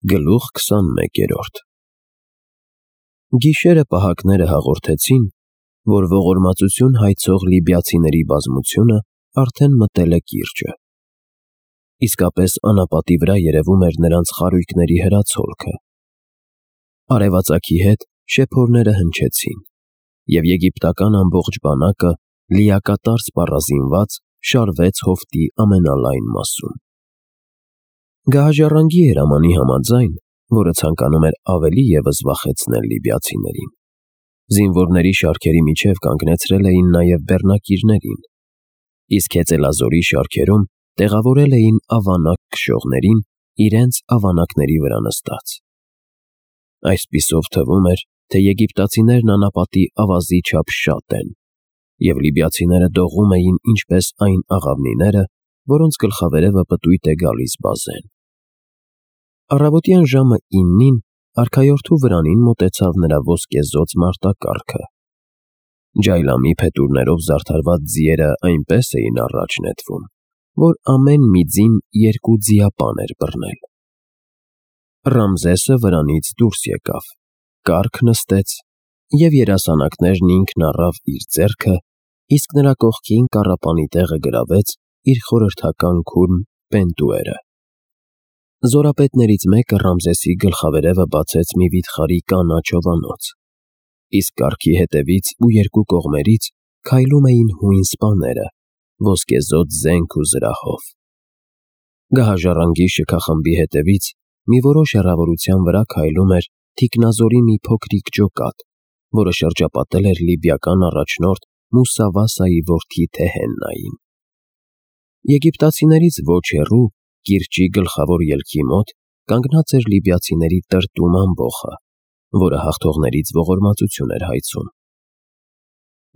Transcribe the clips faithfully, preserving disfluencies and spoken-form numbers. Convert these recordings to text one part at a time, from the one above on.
Գլուխ քսանմեկերորդ Գիշերը պահակները հաղորդեցին, որ ողորմածություն հայցող լիբիացիների բազմությունը արդեն մտել է կիրճը։ Իսկապես անապատի վրա երևում էր նրանց խարույկների հրացոլքը։ Արևածագի հետ շեփորները հնչեցին, և եգիպտական ամբողջ բանակը, լիակատար սպառազինված, շարվեց հովտի ամենալայն մասում։ Գահաժառանգի հրամանի համաձայն, որը ցանկանում էր ավելի ևս վախեցնել լիբիացիներին, զինվորների շարքերի միջև կանգնեցրել էին նաև բեռնակիրներին, իսկ հեծելազորի շարքերում տեղավորել էին ավանակ քշողներին իրենց ավանակների վրա նստած։ Այսպիսով թվում էր, թե եգիպտացիներն անապատի ավազի չափ շատ են, և լիբիացիները դողում էին ինչպես այն աղավնիները, որոնց գլխավերևը պտույտ է գալիս բազեն։ Առավոտյան ժամը իննին արքայորդու վրանին մոտեցավ նրա ոսկեզօծ մարտակառքը։ Ջայլամի փետուրներով զարդարված ձիերը այնպես էին առաջ նետվում, որ ամեն մի ձին երկու ձիապան էր բռնել։ Ռամզեսը վրանից դուրս եկավ, կառք նստեց, և երասանակներն ինքն առավ իր ձեռքը, իսկ նրա կողքին կառապանի տեղը գրավեց իր խորհրդական քուրմ Պենտուերը։ Զորապետներից մեկը Ռամզեսի գլխավերևը բացեց մի վիթխարի կանաչ հովանոց, իսկ կառքի հետևից ու երկու կողմերից քայլում էին հույն սպաները, ոսկեզօծ զենք ու զրահով։ Գահաժառանգի շքախմբի հետևից մի որոշ հեռավորության վրա քայլում էր թիկնազորի մի փոքրիկ ջոկատ, որը շրջապատել էր լիբիական առաջնորդ Մուսավասայի որդի Թեհեննային։ Եգիպտացիներից ոչ հեռու, կիրճի գլխավոր ելքի մոտ, կանգնած էր լիբիացիների տրտում ամբոխը, որը հաղթողներից ողորմածություն էր հայցում։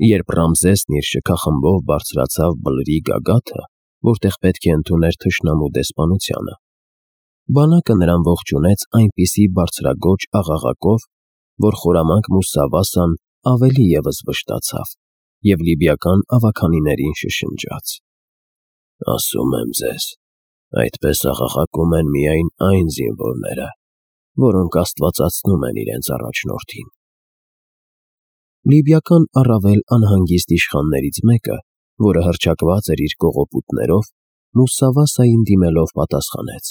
Երբ Ռամզեսն իր շքախմբով բարձրացավ բլրի գագաթը, որտեղ պետք է ընդուներ թշնամու դեսպանությանը, բանակը նրան ողջունեց այնպիսի բարձրագոչ աղաղակով, որ խորամանկ Մուսավասան ավելի ևս վշտացավ և լիբիական ավագանիներին շշնջաց. «Ասում եմ ձեզ, այդպես աղաղակում են միայն այն զինվորները, որոնք աստվածացնում են իրենց առաջնորդին»։ Լիբիական առավել անհանգիստ իշխաններից մեկը, որը հռչակված էր իր կողոպուտներով, Մուսավասային դիմելով պատասխանեց.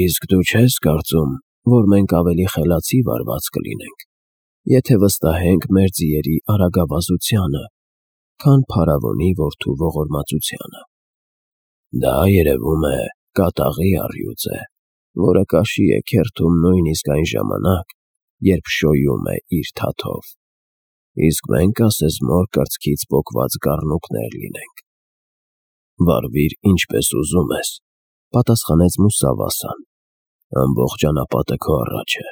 «Իսկ դու չես կարծում, որ մենք ավելի խելացի վարված կլինենք, եթե վստահենք մեր ձիերի արագավազությանը, քան փարավոնի որդու ողորմածությանը։ Դա, երևում է, կատաղի առյուծ է, որը կաշի է քերթում նույնիսկ այն ժամանակ, երբ շոյում է իր թաթով, իսկ մենք ասես կրծքից պոկված կառնուկներ լինենք»։ «Վարվիր ինչպես ուզում ես», պատասխանեց Մուսավասան, «ամբողջ անապատը քո առաջ է։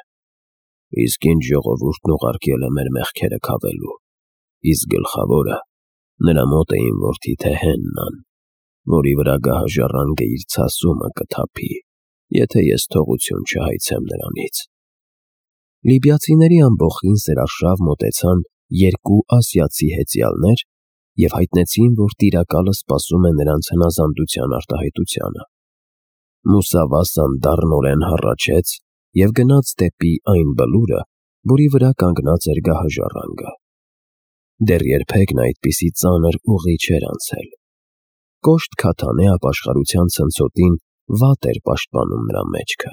Իսկ ինչ ժողովուրդն ուղարկել է մեր մեղքերը քավելու, իսկ գլխավորը նրա մոտ է իմ որդի Թեհեննան, որի վրա գահաժառանգը իր ցասումը կթափի, եթե ես թողություն չհայցեմ նրանից»։ Լիբիացիների ամբոխին սերարշավ մոտեցան երկու ասիացի հեծյալներ և հայտնեցին, որ տիրակալը սպասում է նրանց հնազանդության արտահայտությանը։ Մուսավասան դառնորեն հառաչեց և գնաց դեպի այն բլուրը, որի վրա կանգնած էր գահաժառանգը։ Դեռ երբեք նա այդպիսի ծանր ուղի չէր անցել։ Կոշտ քաթանե ապաշխարության ցնցոտին վատ էր պաշտպանում նրա մեջքը։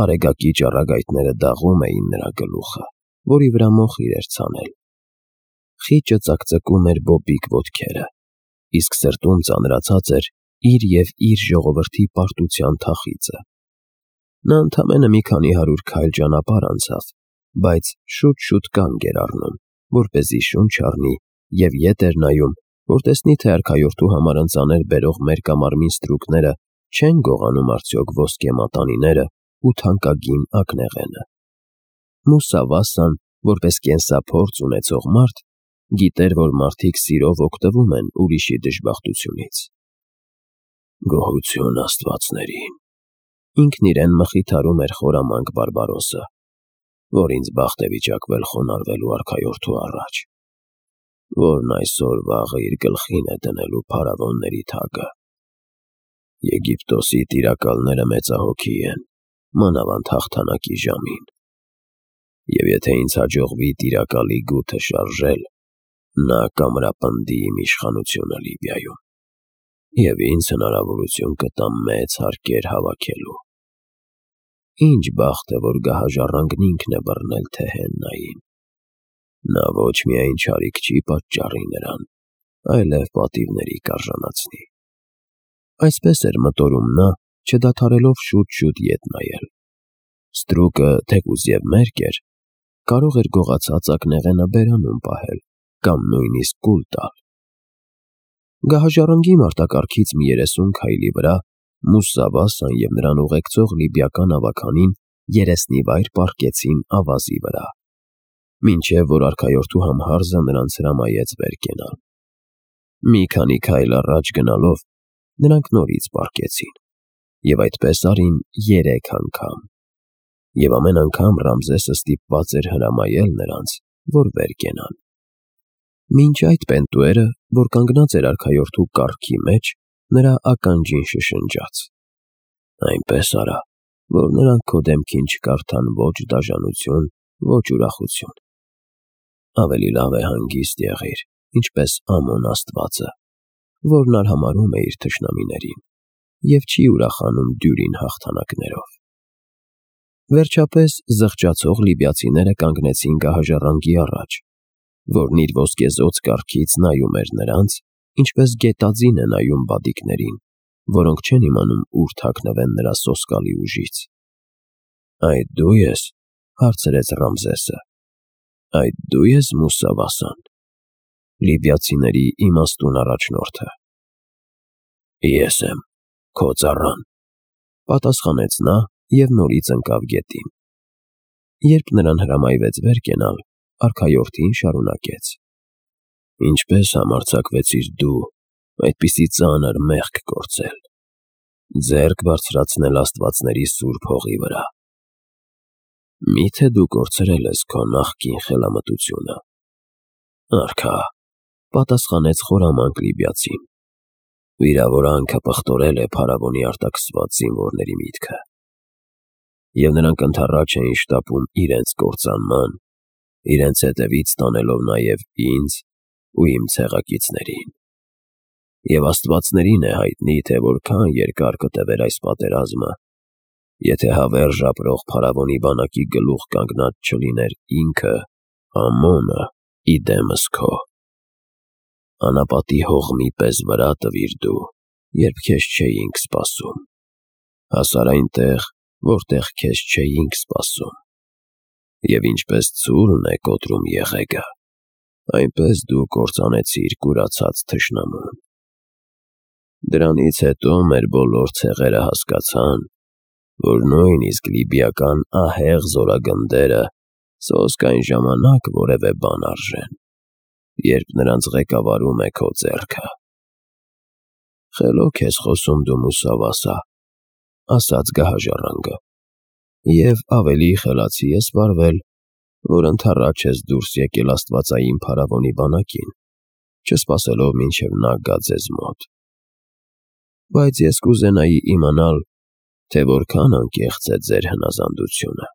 Արեգակի ճառագայթները դաղում էին նրա գլուխը, որի վրա մոխիր էր ցանել։ Խիճը ծակծկում էր բոբիկ ոտքերը, իսկ սրտում ծանրացած էր իր և իր ժողովրդի պարտության թախիծը։ Նա ընդամենը մի քանի հարյուր քայլ ճանապարհ անցավ, բայց շուտ-շուտ կանգ էր առնում, որպեսզի շունչ առնի, և ետ էր նայում, որ տեսնի, թե արքայորդու համար ընծաներ բերող մերկամարմին ստրուկները չեն գողանում արդյոք ոսկե մատանիները ու թանկագին ակնեղենը։ Մուսավասան, որպես կենսափորձ ունեցող մարդ, գիտեր, որ մարդիկ սիրով օգտվում են ուրիշի դժբախտությունից։ «Գոհություն աստվածներին», ինքն իրեն մխիթարում էր խորամանկ Բարբարոսը, «որ ինձ բախտ է վիճակվել խոնարհվելու արքայորդու առաջ, որն այսօր֊վաղը իր գլխին է դնելու փարավոնների թագը։ Եգիպտոսի տիրակալները մեծահոգի են մանավանդ հաղթանակի ժամին։ Եվ եթե ինձ հաջողվի տիրակալի գութը շարժել, նա կամրապնդի իմ իշխանությունը Լիբիայում, և ինձ հնարավորություն կտա մեծ հարկեր հավաքելու։ Ինչ բախտ է, որ գահաժառանգն ինքն է բռնել Թեհեննային։ Նա ոչ միայն չարիք չի պատճառի նրան, այլև պատիվների կարժանացնի։ Այսպես էր մտորում նա, չդադարելով շուտ-շուտ ետ նայել։ Ստրուկը, թեկուզ և մերկ էր, կարող էր գողացած ակնեղենը բերանում պահել կամ նույնիսկ կուլ տալ։ Գահաժառանգի մարտակառքից մի երեսուն քայլի վրա Մուսա Վասան և նրան ուղեկցող լիբիական ավագանին երեսնիվայր պառկեցին ավազի վրա, մինչև որ արքայորդու համհարզը նրանց հրամայեց վեր կենալ։ Մի քանի քայլ առաջ գնալով նրանք նորից պառկեցին, և այդպես արին երեք անգամ, և ամեն անգամ Ռամզեսը ստիպված էր հրամայել նրանց, որ վեր կենան։ Մինչ այդ Պենտուերը, որ կանգնած էր արքայորդու կառքի մեջ, նրա ականջին շշնջաց. «Այնպես արա, որ նրանք քո դեմքին չկարդան ոչ դաժանություն, ոչ ուրախություն։ Ավելի լավ է հանգիստ եղիր, ինչպես Ամոն աստվածը, որն արհամարհում է իր թշնամիներին և չի ուրախանում դյուրին հաղթանակներով»։ Վերջապես զղջացող լիբիացիները կանգնեցին գահաժառանգի առաջ, որն իր ոսկեզօծ կառքից նայում էր նրանց, ինչպես գետաձին է նայում բադիկներին, որոնք չեն իմանում ուր թաքնվեն նրա սոսկալի ուժից։ «Այդ դու ես», հարցրեց Ռամզեսը, «այդ դու ես Մուսա Վասան, լիբիացիների իմաստուն առաջնորդը»։ «Ես եմ, քո ծառան», պատասխանեց նա և նորից ընկավ գետին։ Երբ նրան հրամայվեց վեր կենալ, արքայորդին շարունակեց. «Ինչպես համարձակվեցիր դու այդպիսի ծանր մեղք գործել, ձեռք բարձրացնել աստվածների սուրբ հողի վրա։ Մի՞թե դու կորցրել ես քո նախկին խելամտությունը»։ «Արքա», պատասխանեց խորամանկ լիբիացին, «վիրավորանքը պղտորել է փարավոնի արտաքսված զինվորների միտքը, և նրանք ընդառաջ էին շտապում իրենց կործանման, իրենց հետևից տանելով նաև ինձ ու իմ ցեղակիցներին։ Եվ աստվածներին է հայտնի, թե որքան երկար կտևեր այս պատերազմը, եթե հավերժ ապրող փարավոնի բանակի գլուխ կանգնած չլիներ ինքը, Ամոնը, ի դեմս քո։ Անապատի հողմի պես վրա տվիր դու, երբ քեզ չէինք սպասում, հասար այնտեղ, որտեղ քեզ չէինք սպասում, և ինչպես ցուրն է կոտրում եղեգը, այնպես դու կործանեցիր կուրացած թշնամուն։ Դրանից հետո մեր բոլոր ցեղերը հասկացան, որ նույնիսկ լիբիական ահեղ զորագնդերը սոսկ այն ժամանակ որևէ բան արժեն, երբ նրանց ղեկավարում է քո ձեռքը»։ «Խելոք ես խոսում դու, Մուսա Վասա», ասաց գահաժառանգը, «և ավելի խելացի ես վարվել, որ ընդառաջ ես դուրս եկել աստվածային փարավոնի բանակին, չսպասելով մինչև նա գա ձեզ մոտ։ Բայց ես կուզենայի իմանալ, թե որքան անկեղծ է ձեր հնազանդությունը։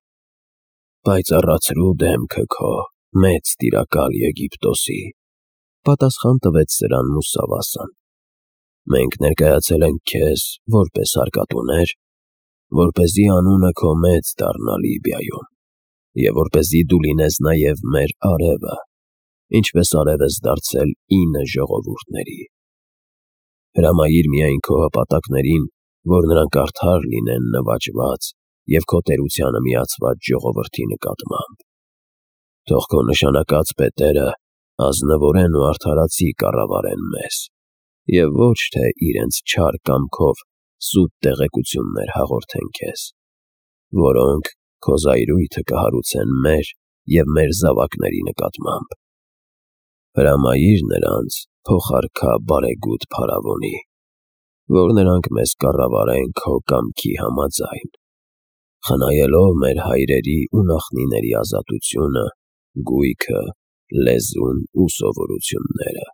Պայծառացրու դեմքը քո, մեծ տիրակալ Եգիպտոսի», պատասխան տվեց սրան Մուսա Վասան։ «Մենք ներկայացել ենք քեզ որպես հարկատուներ, որպեսզի անունը քո մեծ դառնա Լիբիայում, և որպեսզի դու լինես նաև մեր արևը, ինչպես արև ես դարձել ինը ժողովուրդների։ Հրամայիր միայն քո հպատակներին, որ նրանք արդար լինեն նվաճված և քո տերությանը միացված ժողովրդի նկատմամբ։ Թող քո նշանակած պետերը ազնվորեն ու արդարացի կառավարեն մեզ, և ոչ թե իրենց չար կամքով սուտ տեղեկություններ հաղորդեն քեզ, որոնք քո զայրույթը կհարուցեն մեր և մեր զավակների նկատմամբ։ Հրամայիր նրանց, փոխարքա բարեգութ փարավոնի, որ նրանք մեզ կառավարեն քո կամքի համաձայն, խնայելով մեր հայրերի ու նախնիների ազատությունը, գույքը, լեզուն ու սովորությունները։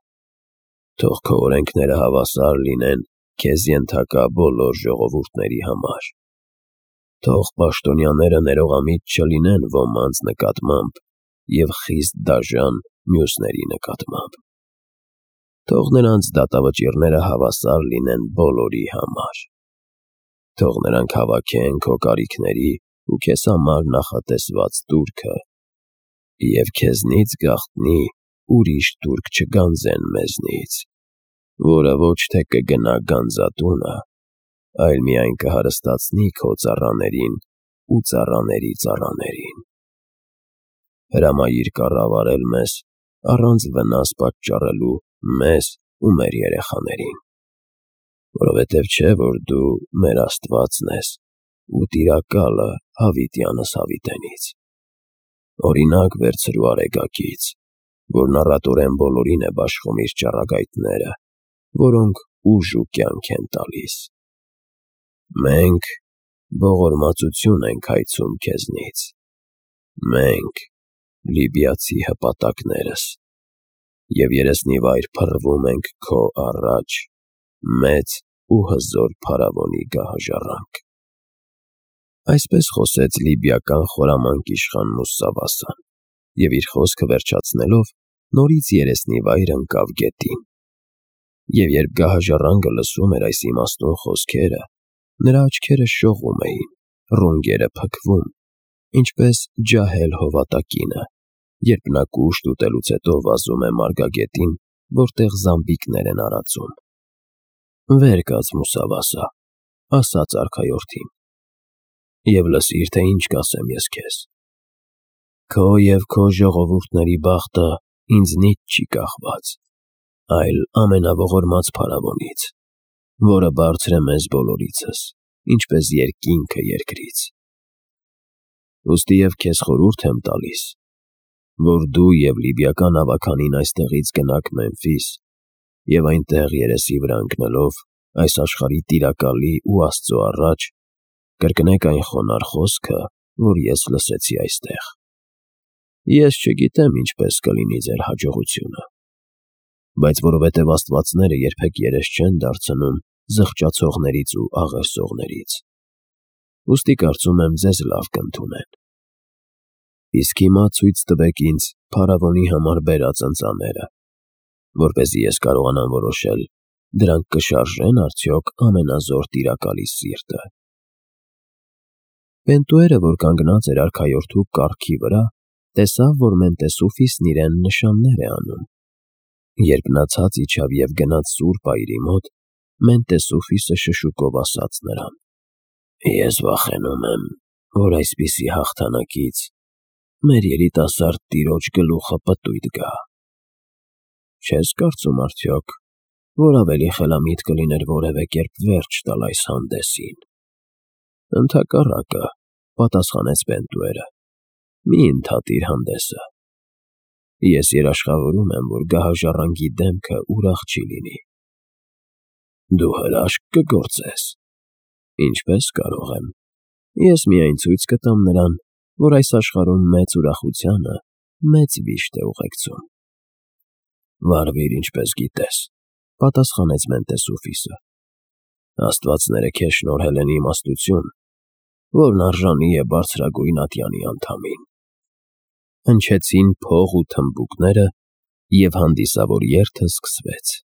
Թող քո օրենքները հավասար լինեն քեզ ենթակա բոլոր ժողովուրդների համար։ Թող պաշտոնյաները ներողամիտ չլինեն ոմանց նկատմամբ և խիստ դաժան մյուսների նկատմամբ։ Թող նրանց դատավճիռները հավասար լինեն բոլորի համար։ Թող նրանք հավաքեն քո կարիքների ու քեզ համար նախատեսված տուրքը, և քեզնից գաղտնի ուրիշ տուրք չգանձեն մեզնից, որը ոչ թե կգնա գանձատունը, այլ միայն կհարստացնի քո ծառաներին ու ծառաների ծառաներին։ Հրամայիր կառավարել մեզ առանց վնաս պատճառելու մեզ ու մեր երեխաներին, որովհետև չէ, որ դու մեր Աստվածն ես ու Տիրակալը հավիտյանս հավիտենից։ Օրինակ վերցրու Արեգակից, որն առատորեն բոլորին է բաշխում իր ճառագայթները, որոնք ուժ ու կյանք են տալիս։ Մենք ողորմածություն ենք հայցում քեզնից, մենք, լիբիացի հպատակներս, և երեսնիվայր փռվում ենք քո առաջ, մեծ ու հզոր փարավոնի գահաժառանգ։ Այսպես խոսեց լիբիական խորամանկ իշխան Մուսավասան, և իր խոսքը վերջացնելով նորից երեսնիվայր ընկավ գետին։ Եվ երբ գահաժառանգը լսում էր այս իմաստուն խոսքերը, նրա աչքերը շողում էին, ռունգերը փքվում, ինչպես ջահել հովատակինը, երբ նա կուշտ ուտելուց հետո վազում է մարգագետին, որտեղ զամբիկներ են արածում։ «Վեր կաց, Մուսավասա», ասաց արքայորդին, «և լսիր, թե ինչ կասեմ ես քեզ։ Քո և քո ժողովուրդների բախտը ինձնից չի կախված, այլ ամենաողորմած փարավոնից, որը բարձր է մեզ բոլորիցս, ինչպես երկինքը երկրից։ Ուստի և քեզ խորհուրդ եմ տալիս, որ դու և լիբիական ավագանին այստեղից գնաք Մեմֆիս և այնտեղ երեսի վրա ընկնելով այս աշխարհի Տիրակալի ու Աստծո առաջ կրկնեք այն խոնարհ խոսքը, որ ես լսեցի այստեղ։ Ես չգիտեմ ինչպես կլինի ձեր հաջողությունը, բայց որովհետև աստվածները երբեք երես չեն դարձնում զղջացողներից ու աղերսողներից, ուստի կարծում եմ ձեզ լավ կընդունեն։ Իսկ հիմա ցույց տվեք ինձ փարավոնի համար բերած ընծաները, որպեսզի ես կարողանամ որոշել դրանք կշարժե՞ն արդյոք ամենազոր Տիրակալի սիրտը»։ Պենտուերը, որ կանգնած էր արքայորդու կառքի վրա, տեսավ, որ Մենտեսուֆիսն իրեն նշաններ է անում։ Երբ նա ցած իջավ և գնաց սուրբ այրի մոտ, Մենտեսուֆիսը շշուկով ասաց նրան. «Ես վախենում եմ, որ այսպիսի հաղթանակից մեր երիտասարդ տիրոջ գլուխը պտույտ գա։ Չես կարծում արդյոք, որ ավելի խելամիտ կլիներ որևէ կերպ վերջ տալ այս հանդեսին»։ «Ընդհակառակը», պատասխանեց Պենտուերը, «մի ընդհատիր հանդեսը։ Ես երաշխավորում եմ, որ գահաժառանգի դեմքը ուրախ չի լինի»։ «Դու հրաշք կգործես»։ «Ինչպես կարող եմ։ Ես միայն ցույց կտամ նրան, որ այս աշխարհում մեծ ուրախությանը մեծ վիշտ է ուղեկցում»։ «Վարվիր ինչպես գիտես», պատասխանեց Մենտեսուֆիսը։ «Աստվածները քեզ շնորհել են իմաստություն, որն արժանի է բարձրագույն ատյանի անդամին»։ Հնչեցին փող ու թմբուկները, և հանդիսավոր երթը սկսվեց։